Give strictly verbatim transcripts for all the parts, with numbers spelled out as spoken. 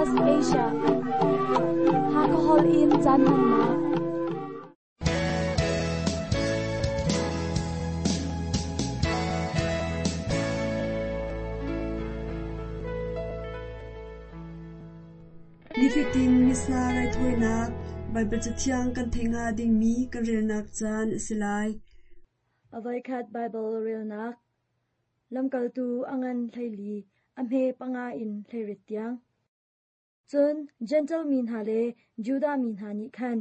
S B S Asia Hakahol in caan hmannak. Nifatin Missa raithawinak Baibal Cathiang kan theih hnga dingmi kan relnak caan a si lai. Avoikhat Baibal relnak Lamkaltu a ngan hleili a hme panga in hleirit tiang. Cun Jentail mi hna le Judah mi hna nih khan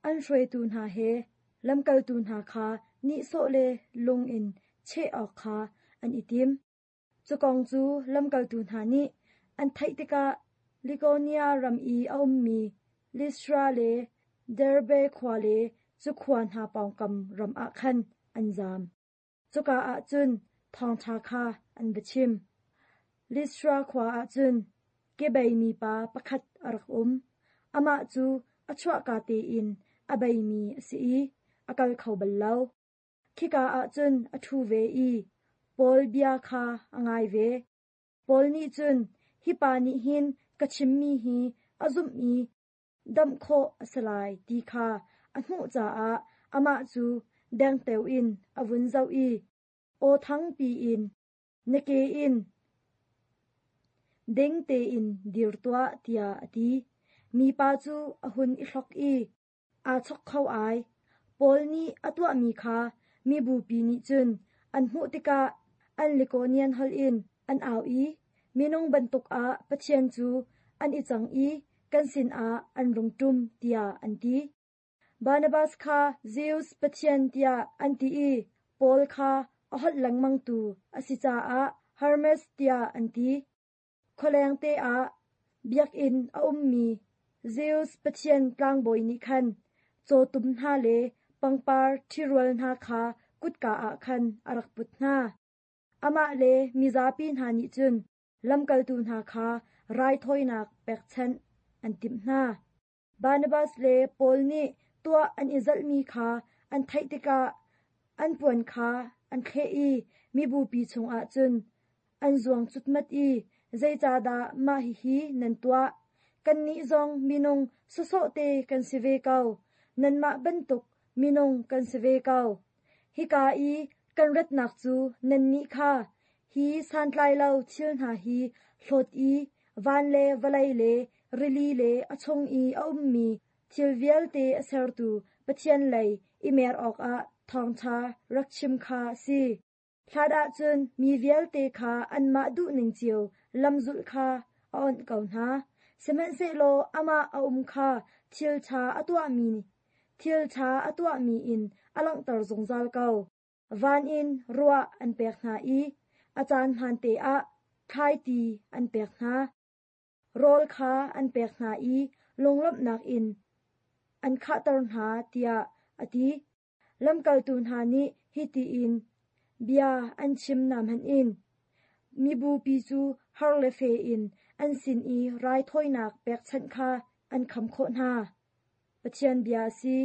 an hruaitu hna he lamkaltu hna kha nihsawh le lung in cheh awk kha an i tim. Cu kong cu lamkaltu hna nih an theih tikah Likonia ram i a ummi Listra le Derbe khua le cu khua hna pawngkam ram ah khan an zaam. Cuka ah cun thawngṭha kha an va chim. Listra khua ah cun kebeimi pa pakhat a rak um. Amah cu a chuahka tein a beimi a si i a kal kho bal lo. Khika ah cun a ṭhu ve i Paul bia kha a ngai ve. Paul nih cun, hi pa nih hin ka chimmi hi a zumh i damh khawh a si lai ti kha a hmuh caah amah cu dengteo in a vun zoh i aw thangpi in, na ke in ding tein dir tuah tiah a ti. Mipa cu a hun i hlok i aa chok kho ai. Paul nih a tuahmi kha mibupi nih cun an hmuh tikah an Likonian holh in an au i minung bantuk ah Pathian cu an i cang i kan sinah an rung ṭum tiah an ti. Barnabas kha Zeus Pathian tiah an ti i Paul kha a holh lengmangtu a si caah Hermes tiah an ti. Khualeng te ah biakinn a ummi Zeus Pathian tlangbawi nih khan cawtum hna le pangpar ṭhirual hna kha kutka ah khan a rak put hna. Amah le mizapi hna nih cun lamkaltu hna kha raithawinak pekchanh an timh hna. Barnabas le Paul nih tuah an i zalhmi kha an theih tikah an puan kha an thleh i mibupi chungah cun an zuang cutmat i zeicahdah mah hihi nan tuah? Kannih zong minung sawsawh te kan si ve ko. Nanmah bantuk minung kan si ve ko. Hika i kan ratnak cu nannih kha hi santlai lo thil hna hi hlawt i van le vawlei le rili le a chung i a ummi thil vialte a sertu Pathian lei i mer awkah thawngṭha rak chim kha a si. Hlat ahcun mi vialte kha anmah duhning cio lamzulh kha a onh ko hna. Sihmanhsehlaw amah a um kha thil ṭha a tuahmi thil ṭha a tuahmi in a langhter zungzal ko. Van in ruah an pek hna i a caan hmaante ah thlaiti an pek hna. Rawl kha an pek hna i lunglawmhnak in an khahter hna tiah a ti. Lamkaltu hna nih hiti in bia an chim na hmanh in mibupi cu har le fe in an sin i raithawinak pekchanh kha an kham khawh hna. Pathian bia a si.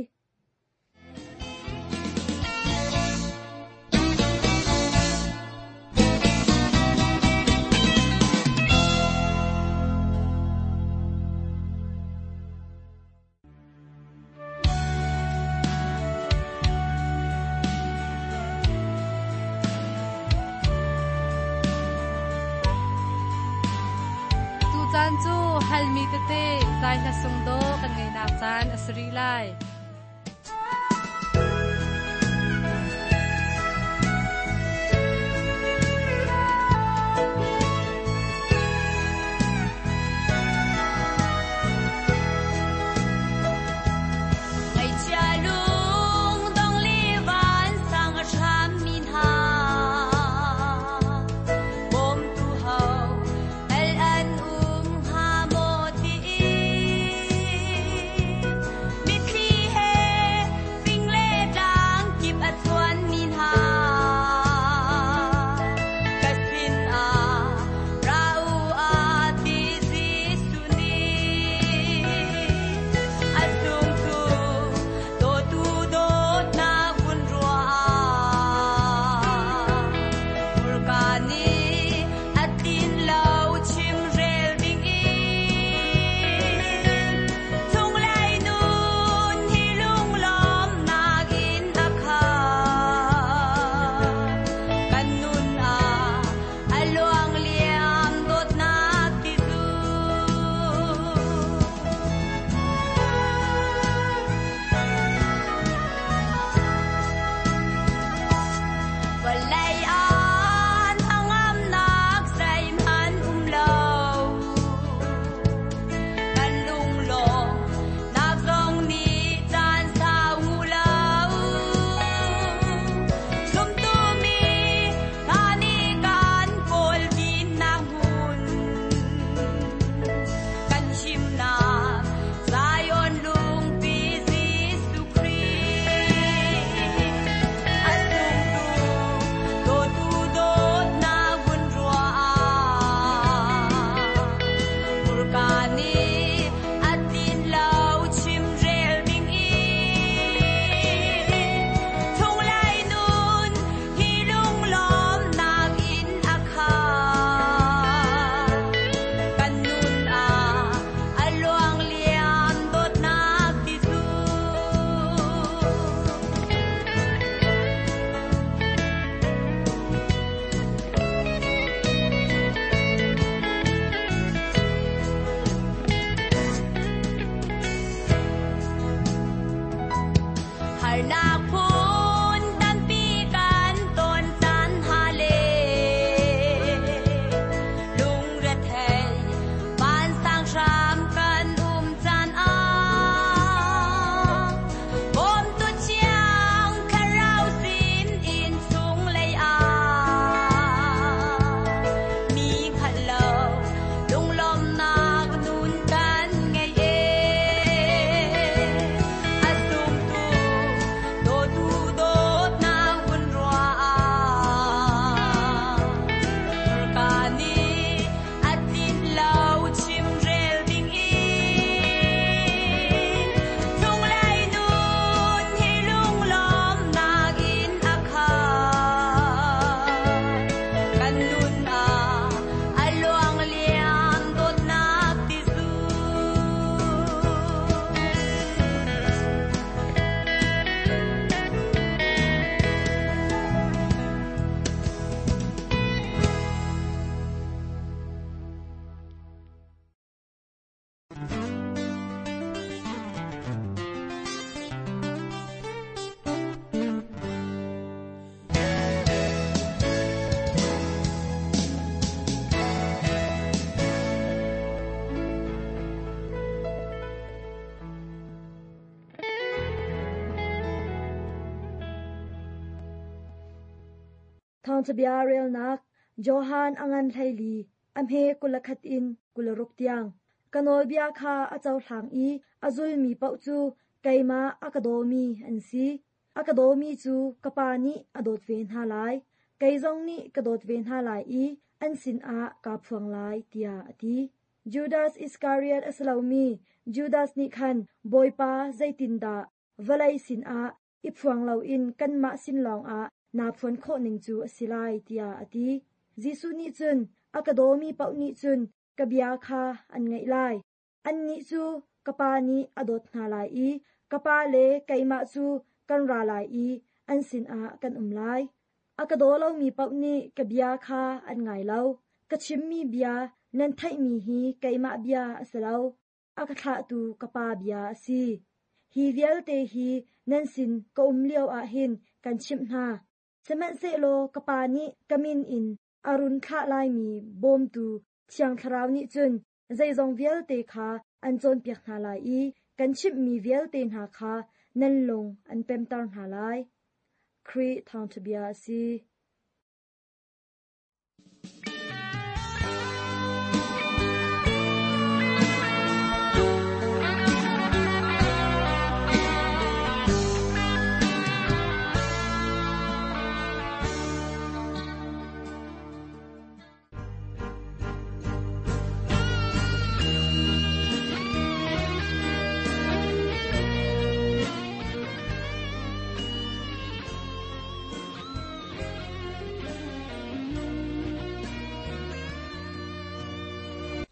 Tucaan cu halmi tete zai hla sung do kan ngeinak caan a si rih lai. Ngaihchia lung dong li van sang a hram mi hna bawmtu ho el an um hnga maw ti mitthli he Thawngṭhabia relnak Johan a ngan hleili, a hme kul le khat in kul le ruk tiang. Ka nawlbia kha a cohlang i a zulmi paoh cu keimah a ka dawmi an si. A ka dawmi cu ka Pa nih a dawt ve hna lai. Kei zong nih ka dawt ve hna lai i an sinah kaa phuang lai, tiah a ti. Judas Iskariot a si lomi Judas nih khan Bawipa zeitindah vawlei sinah i phuang loin kanmah sin lawngah naa phuan khawh ning cu a si lai, tiah a ti. Jesuh nih cun a ka dawmi paoh nih cun ka bia kha an ngaih lai. Annih cu ka Pa nih a dawt hna lai i ka Pa le keimah cu kan ra lai i an sinah kan um lai. A ka daw lomi paoh nih ka bia kha an ngai lo. Ka chimmi bia nan theihmi hi keimah bia a si lo. A ka thlahtu ka Pa bia a si. Hi vialte hi nan sin ka um lio ah hin kan chimh hna. Sihmanhsehlaw ka Pa nih ka min in a run thlah laimi bawmtu Thiang Thlarau nih cun zeizong vialte kha an cawnpiak hna lai i kan chimhmi vialte hna kha nan lung an pemter hna lai. Khrih thawngṭhabia a si.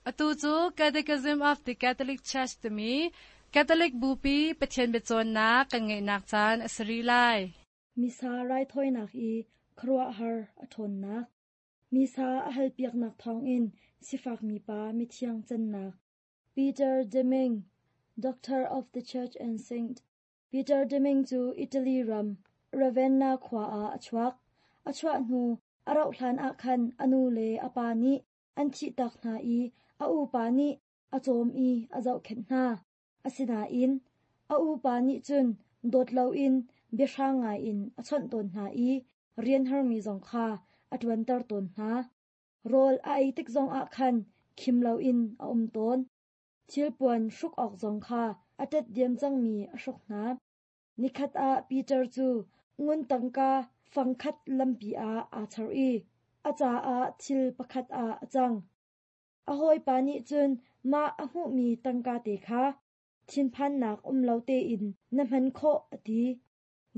Atu cu Catechism of the Catholic Church timi Catholic Bupi Pathian biacawnnak kan ngeihnak caan a si rih lai. Misa raithawinak i khuaruahhar a ṭhawnnak. Misa a halpiaknak thawngin sifak mipa mithiang cannak. Peter Deming, Doctor of the Church and Saint. Peter Deming cu Italy ram Ravenna khua ah a chuak. A chuah hnu a rauh hlan ah khan a nu le a pa nih an thihtak hna i a upa nih a cawm i a zohkhenh hna. Asinain a upa nih cun dawt loin biahrang ngaiin a chawnh tawn hna i rian harmi zong kha a ṭuanter tawn hna. Rawl a ei tik zongah khan khim loin a um tawn. Thilpuan hruk awk zong kha a ṭet diam cangmi a hruk hna. Nikhat ah Peter cu ngun tangka fangkhat lampi ah aa char i a caah thil pakhat ah a cang. A hawipa nih cun mah a hmuhmi tangka te kha thinphannak um lo tein na hman khawh a ti.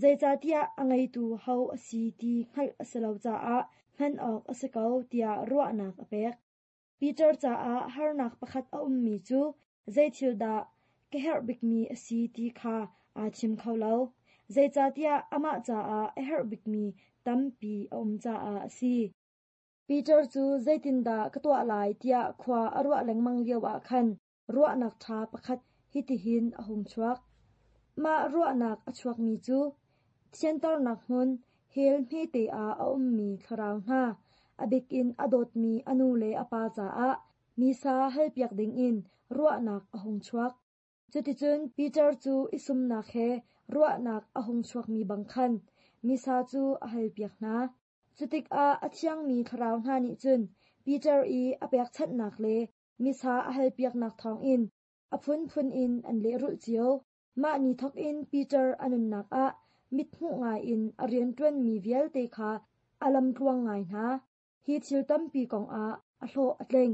Zeicahtiah a ngeitu ho a si ti hngalh a si lo caah hman awk a si ko tiah ruahnak a pek. Peter caah harnak pakhat a ummi cu zeithil dah ka herh bikmi a si ti kha aa thim kho lo. Zeicahtiah amah caah a herh bikmi tampi a um caah a si. Peter cu zeitindah ka tuah lai tiah khua a ruah lengmang lio ah khan ruahnak ṭha pakhat hitihin a hung chuak. Mah ruahnak a chuakmi cu thianternak hmun hell hmete ah a ummi thlarau hna, a bikin a dawtmi a nu le a pa caah misa halpiak dingin ruahnak a hung chuak. Cuticun Peter cu i sumnak he ruahnak a hung chuakmi bang khan misa cu a halpiak hna. Cutikah a thiangmi thlarau hna nih cun Peter i a pekchanhnak le misa a halpiaknak thawngin a phunphun in an lehrulh cio. Mah ni thawkin Peter a nunnak ah mithmuh ngaiin a rianṭuanmi vialte kha a lamtluang ngai hna. Hi thil tampi kongah a hlawh a tling.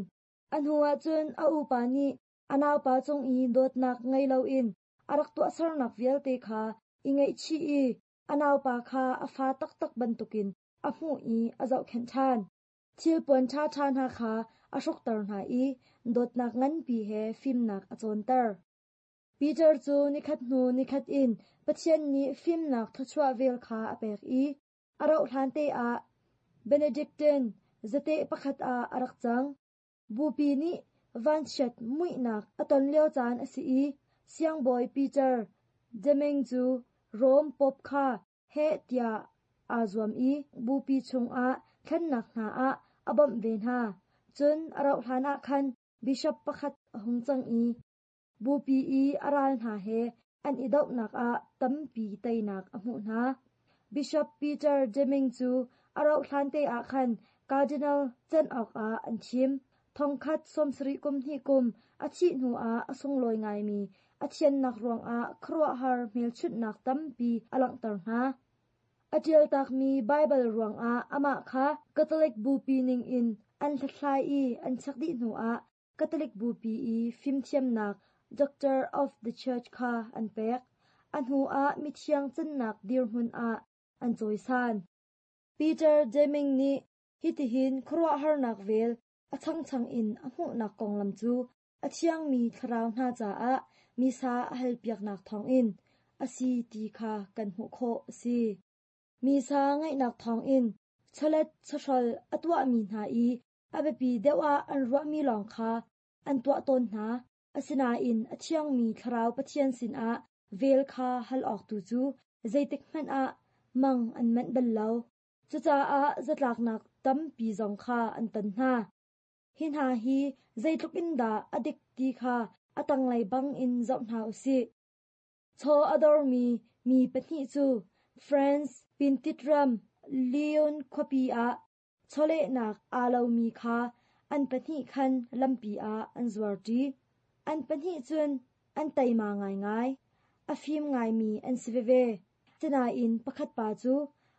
A hnuah cun a upa nih a naupa cung i dawtnak ngei loin a rak tuahsernak vialte kha i ngaihchih i a naupa kha a fa taktak bantukin a hmuh i a zohkhenh ṭhan. Thilpuan ṭhaṭha hna kha a hrukter hna i dawtnak nganpi he fimnak a cawnter. Peter cu nikhat hnu nikhat in Pathian nih fimnak thluachuah vel kha a pek i a rauh hlan te ah Benedictine zateh pakhat ah a rak cang. Bupi nih vanchiat muihnak a ton lio caan a si i siangbawi Peter Deming cu Rome Pope kha heh tiah aa zuam i bupi chungah thlennak hna ah a bawmh ve hna. Cun a rauh hlan ah khan bishop pakhat a hung cang i bupi i a ral hna he an i dohnak ah tampi teinak a hmuh hna. Bishop Peter Deming cu A rauh hlan te ah khan Cardinal can awkah an thim. Thongkhat sawmsarih kum hnih kum a thih hnuah a sunglawi ngaimi a thiannak ruangah khuaruahhar hmelchunhnak tampi a langhter hna. A ṭialtakmi Baibal ruangah amah kha Catholic Bupi ningin an hlathlai i an check dih hnuah Catholic Bupi i fimthiamnak Doctor of the Church kha an pek. A hnuah mithiang cannak dirhmun ah an cawisan. Peter Deming nih hitihin khuaruahharnak vel a changchang in a hmuhnak konglam cu a thiangmi thlarau hna caah misa a halpiaknak thawngin a si ti kha kan hmuh khawh a si. Misa ngaihnak thawngin chawlet chawhrawl a tuahmi hna i a biapi deuh ah an ruahmi lawng kha an tuah tawn hna. Asinain a thiangmi thlarau Pathian sinah vel kha hal awk tu cu zeitik hmanh ah mang an manh bal lo. Cucaah zatlaknak tampi zong kha an ton hna. Hi hna hi zeitluk in dah a dik ti kha a tanglei bangin zoh hna u sih. Chaw a dormi mi pahnih cu France Pintit ram Lyon khuapi ah chawlehnak aa lomi kha an pahnih khan lampi ah an zuarṭi. An pahnih cun an teima ngaingai. A fim ngaimi an si veve. Sinain pakhat pa cu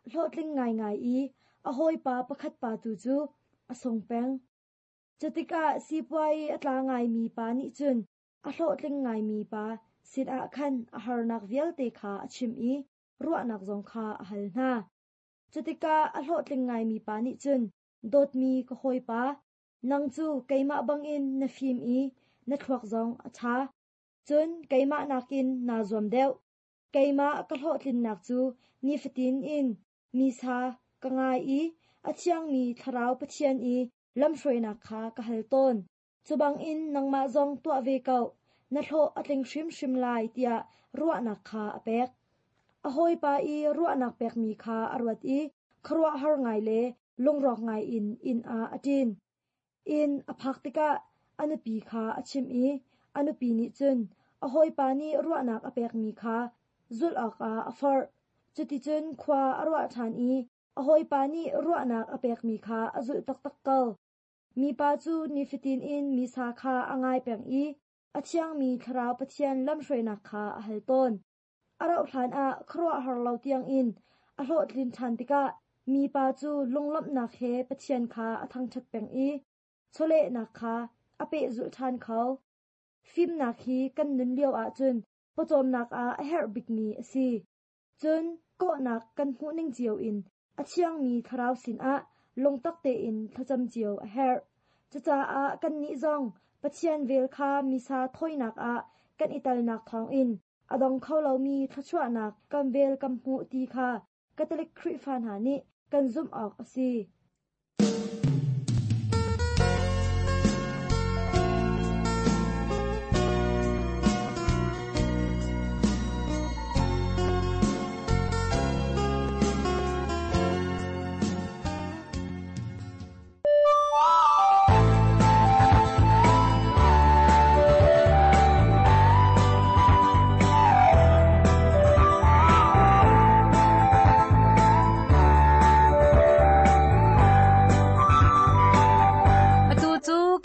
hlawhtling ngaingai i a hawipa pakhat pa tu cu a sung peng. Cutikah sipuai a tla ngaimi pa nih cun a hlawhtling ngaimi pa sinah khan a harnak vialte kha a chim i ruahnak zong kha a hal hna. Cutikah a hlawhtling ngaimi pa nih cun dawtmi ka hawipa, nang cu keimah bangin na fim i na thluak zong a ṭha. Cun keimah nakin naa zuam deuh. Keimah ka hlawhtlinnak cu nifatin in misa ka ngai i a thiangmi thlarau Pathian i lamhruainak kha ka hal tawn. Cubangin nangmah zong tuah ve ko, na hlawh a tling hrimhrim lai tiah ruahnak kha a pek. A hawipa i ruahnak pekmi kha a ruat i khuaruahhar ngai le lungrawk ngai in inn ah a ṭin. Inn a phak tikah a nupi kha a chimh i a nupi nih cun a hawipa nih ruahnak a pekmi kha zulh awkah a forh. Cuticun khua a ruah ṭhan i a hawipa nih ruahnak a pekmi kha a zulh taktak ko. Mipa cu nifatin in misa kha a ngai peng i a thiangmi thlarau Pathian lamhruainak kha a hal tawn. A rauh hlanah khuaruahhar lo tiangin a hlawhtlin ṭhan tikah mipa cu lunglawmhnak he Pathian kha a thangṭhat peng i chawlehnak kha a pehzulh ṭhan kho. Fimnak hi kan nun lio ahcun pawcawmnak ah a herh bikmi a si. Cun kawhnak kan hmuhning cio in a thiangmi thlarau sinah lungtak tein thlacam cio a herh. Cucaah kannih zong Pathian vel kha misa thawinak ah kan i telnak thawngin a dong kho lomi thluachuahnak kan vel kan hmuh ti kha Catholic Khrihfa hna nih kan zumh awk a si.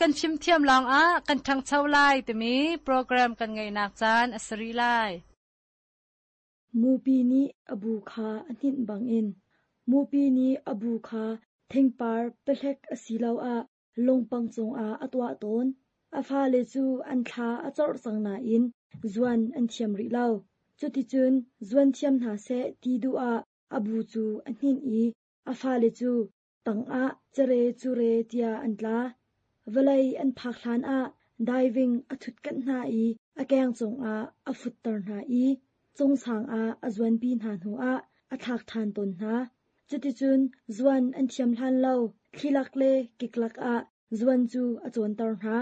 Kan fimthiam lawngah kan ṭhangcho lai timi program kan ngeihnak caan a si rih lai. Mupi nih a bu kha a hninh bangin mupi nih a bu kha thingpar pehlek asiloah lungpang cungah a tuah tawn. A fale cu an thla a corh cang nain zuan an thiam rih lo. Cuticun zuan thiam hna seh ti duh ah a bu cu a hninh i a fale cu tangah cere cure tiah an tla. Vawlei an phak hlan ah diving a ṭhutkanh hna i a keng cungah a futter hna i cungsang ah a zuanpi hna hnuah a thlak ṭhan tawn hna. Cuticun zuan an thiam hlan lo thlilak le kiklak ah zuan cu a cawnter hna.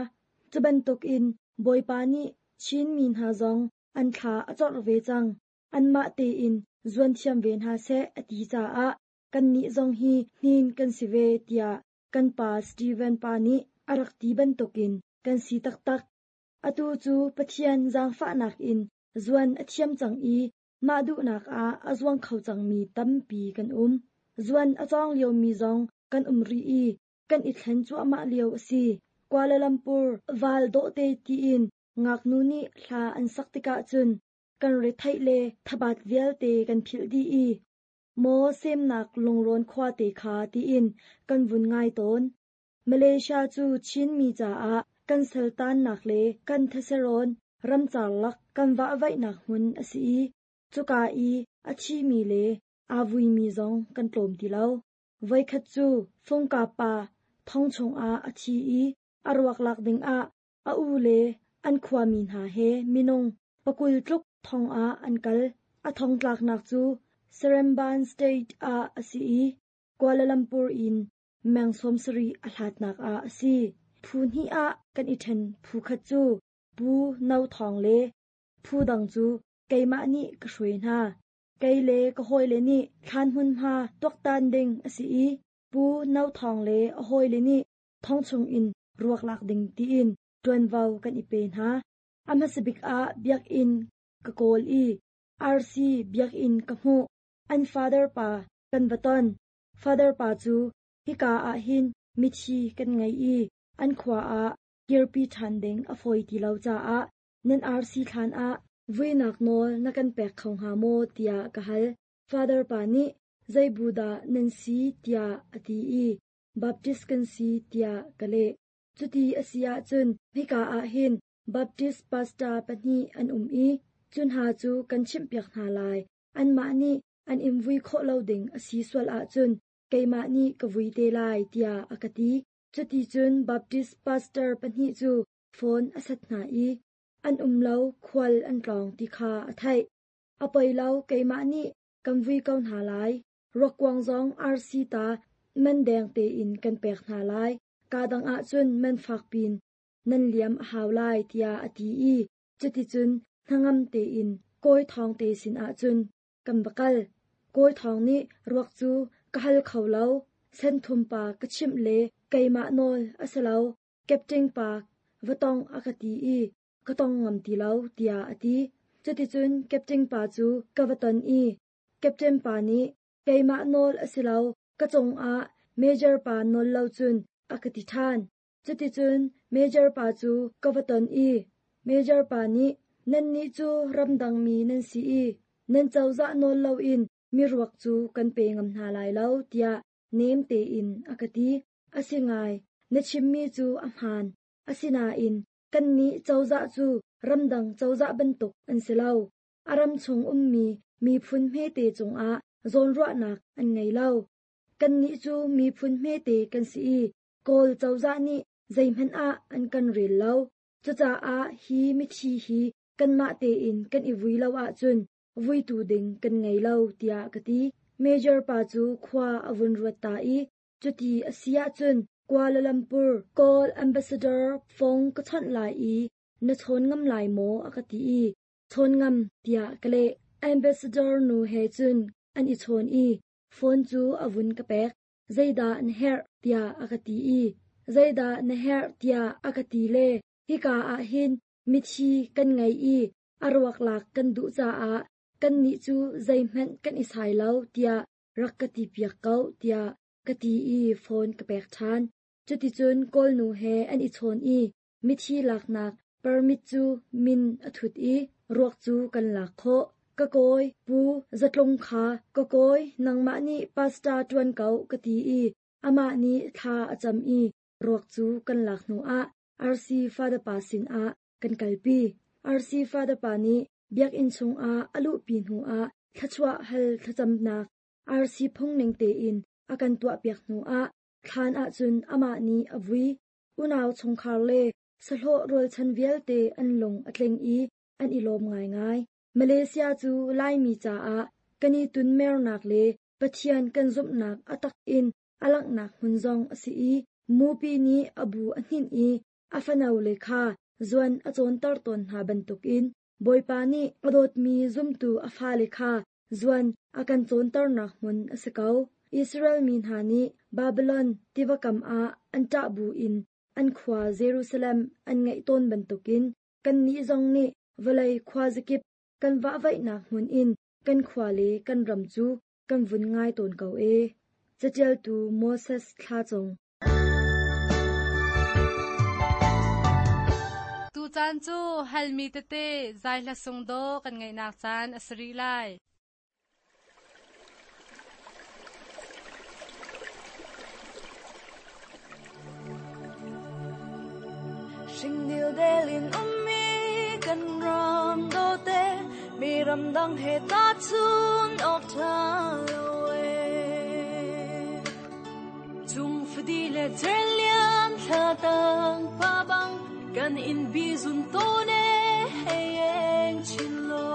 Cu bantukin Bawipa nih Chin mi hna zong an thla a corh ve cang. Anmah tein zuan thiam ve hna seh a ti caah kannih zong hi hnin kan si ve tiah kan pa Steven pa nih a rak ti bantukin kan si taktak. Atu cu Pathian zaangfahnak in zuan a thiam cang i mah duhnak ah a zuang kho cangmi tampi kan um. Zuan a cawng liomi zong kan um rih i kan i thlen cuahmah lio a si. Kuala Lumpur val dawhte tiin ngaknu nih hla an sak tikah cun kan retheih le thabat vialte kan philh dih i maw semnak lungrawn khuate kha tiin kan vun ngai tawn. Malaysia cu Chinmi caah kan saltannak le kan theserawn ramcar lak kan vahvaihnak hmun a si i cuka i a thimi le aa vuimi zong kan tlawm ti lo. Voikhat cu Fungka pa thong chungah a thi i a ruak lak dingah a u le an khuami hna he minung pakul tluk thong ah an kal. A thong tlaknak cu Seremban State ah a si i Kuala Lumpur in meng sawm sarih a hlatnak ah a si. Phu hnih ah kan i ṭhen phu khat cu Pu No Thawng le phu dang cu keimah nih ka hruai hna. Kei le ka hawile nih thlan hmunhma tuaktan ding a si i Pu No Thawng le a hawile nih thong chungin ruak lak ding tiin ṭuanvo kan i pe hna. A hmasa bik ah biakinn ka kawl i RC biakinn ka hmuh. An father pa kan va ton. Father pa cu hika ah hin mithi kan ngei i an khua ah kirpi ṭhan ding a fawi ti lo caah nan RC thlan ah vuinak nawl na kan pek kho hnga maw tiah ka hal. Father pa nih zei bu dah nan si tiah a ti i Baptist kan si tiah ka leh. Cuti a si ahcun hika ah hin Baptist pastor pahnih an um i cu hna cu kan chimhpiak hna lai. Anmah nih an in vui khawh lo ding a si sual ahcun keimah nih ka vui te lai tiah a ka ti. Cuti cun Baptist pastor pahnih cu phone a sat hna i an um lo khual an tlawng ti kha a theih. A poi lo keimah nih kan vui ko hna lai. Ruakkuang zong RC ta man deng tein kan pek hna lai. Ka dang ahcun man fak pin nan liam a hau lai tiah a ti i cuticun hnangam tein Kawi Thawng te sin ahcun kan va kal. Kawi Thawng nih ruak cu ka hal kho lo. Senthum pa ka chimh le keimah nawl a si lo. Captain pa va tong a ka ti i ka tong ngam ti lo tiah a ti. Cuticun Captain pa cu ka va ton i Captain pa nih keimah nawl a si lo ka cungah Major pa nawl lo cun a ka ti ṭhan. Cuticun Major pa cu ka va ton i Major pa nih nannih cu ramdangmi nan si i nan cozah nawl loin mi ruak cu kan pe ngam hna lai lo tiah nem tein a ka ti. A si ngai, na chimmi cu a hmaan. Asinain kannih cozah cu ramdang cozah bantuk an si lo. A ram chung ummi miphun hmete cungah zawnruahnak an ngei lo. Kannih cu miphun hmete kan si i Kawl cozah nih zeihmanh ah an kan rel lo. Cucaah hi mithi hi kanmah tein kan i vui lo ahcun vuitu ding kan ngei lo tiah ka ti. Major pa cu khua a vun ruat ta i cuti a si ahcun Kuala Lumpur Kawl Ambassador phone ka chawnh lai i na chawn ngam lai maw a ka ti i chawn ngam tiah ka leh. Ambassador nu he cun an i chawn i phone cu a vun ka pek. Zeidah na herh tiah a ka ti i zeidah na herh tiah a ka ti le hika ah hin mithi kan ngei i a ruak lak kan duh caah kannih cu zeihmanh kan i sai lo tiah rak ka ti piak ko tiah ka ti i phone ka pek ṭhan. Cuticun Kawlnu he an i chawn i mithi laknak permit cu min a thut i ruak cu kan lak khawh. Ka kawi pu zatlung kha ka kawi nangmah nih pastor ṭuan ko ka ti i amah nih thla a cam i ruak cu kan lak hnuah RC Father pa sinah kan kalpi. RC Father pa nih biakinn chungah a luhpi hnuah thluachuah hal thlacamnak RC phung ning tein a kan tuahpiak hnuah thlan ahcun amah nih a vui. Unau chungkhar le sahlawh rualchan vialte an lung a tling i an i lawm ngaingai. Malaysia cu Laimi caah kan i tunmernak le Pathian kan zumhnak a tak in a langhnak hmun zong a si i mupi nih a bu a hninh i a fano le kha zuan a cawnter tawn hna bantukin Bawipa nih a dawtmi zumtu a fale kha zuan a kan cawnternak hmun a si ko. Israel mi hna nih Babylon tiva kam ah an ṭah bu in an khua Jerusalem an ngaih tawn bantukin kannih zong nih vawlei khua zakip kan vahvaihnak hmun in kan khua le kan ram cu kan vun ngai tawn ko e. Catialtu Moses Thlacung. Tu caan cu halmi tete zai hla sung do kan ngaihnak caan a si rih lai. Shingdil delin ummi kan ram do te mi ram dang he ta chun ok tha lo e chung phdi le chelian thla tang pa bang kan in bi zun to ne heng chin lo.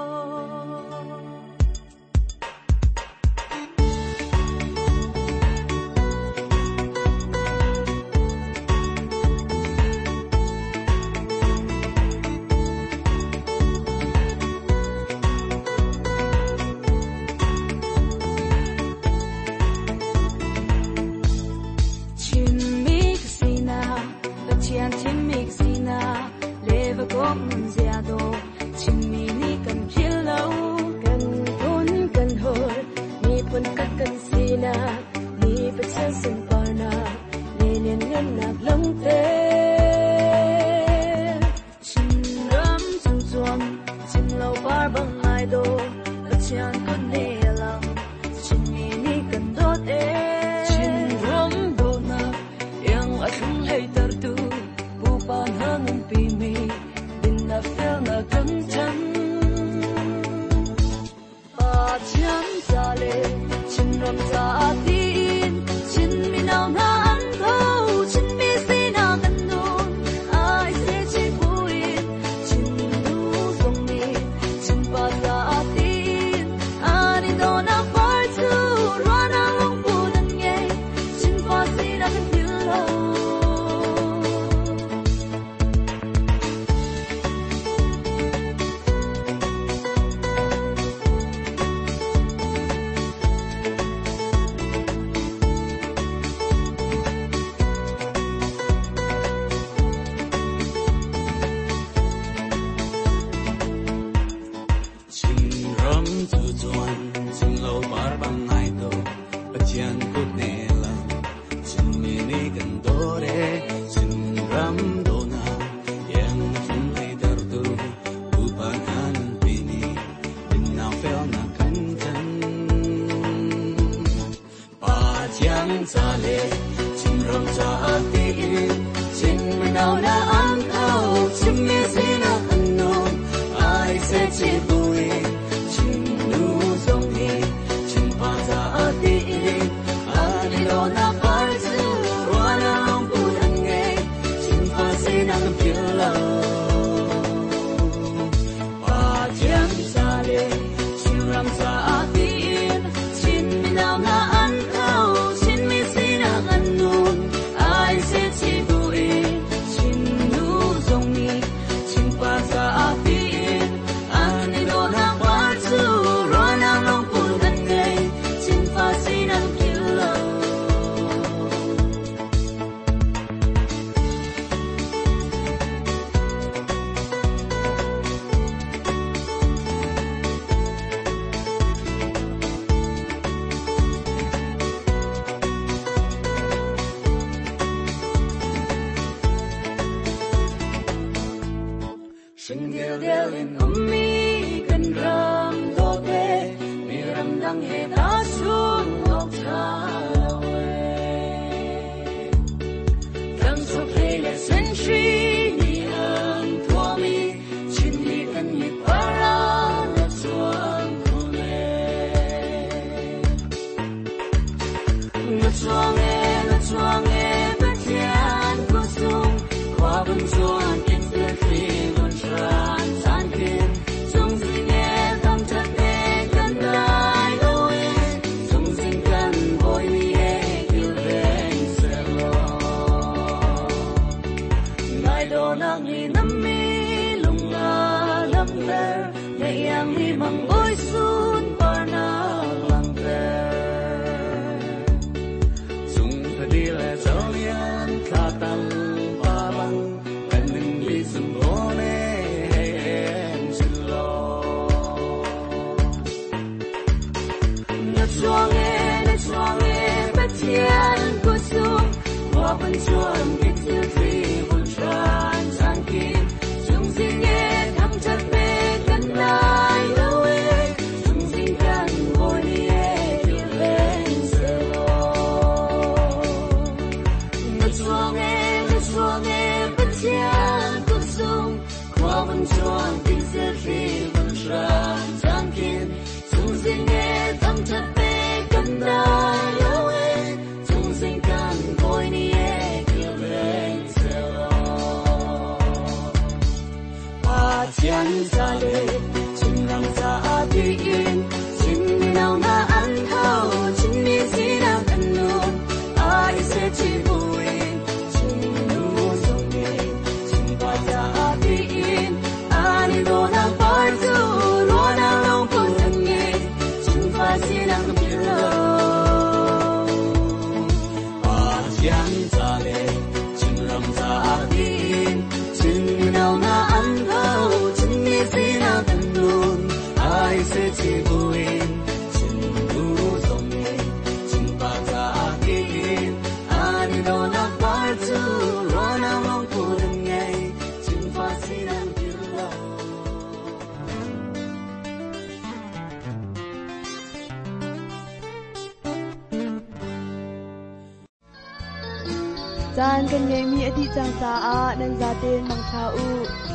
Caan kan ngeimi a dih cang caah nan zaten mangtha u.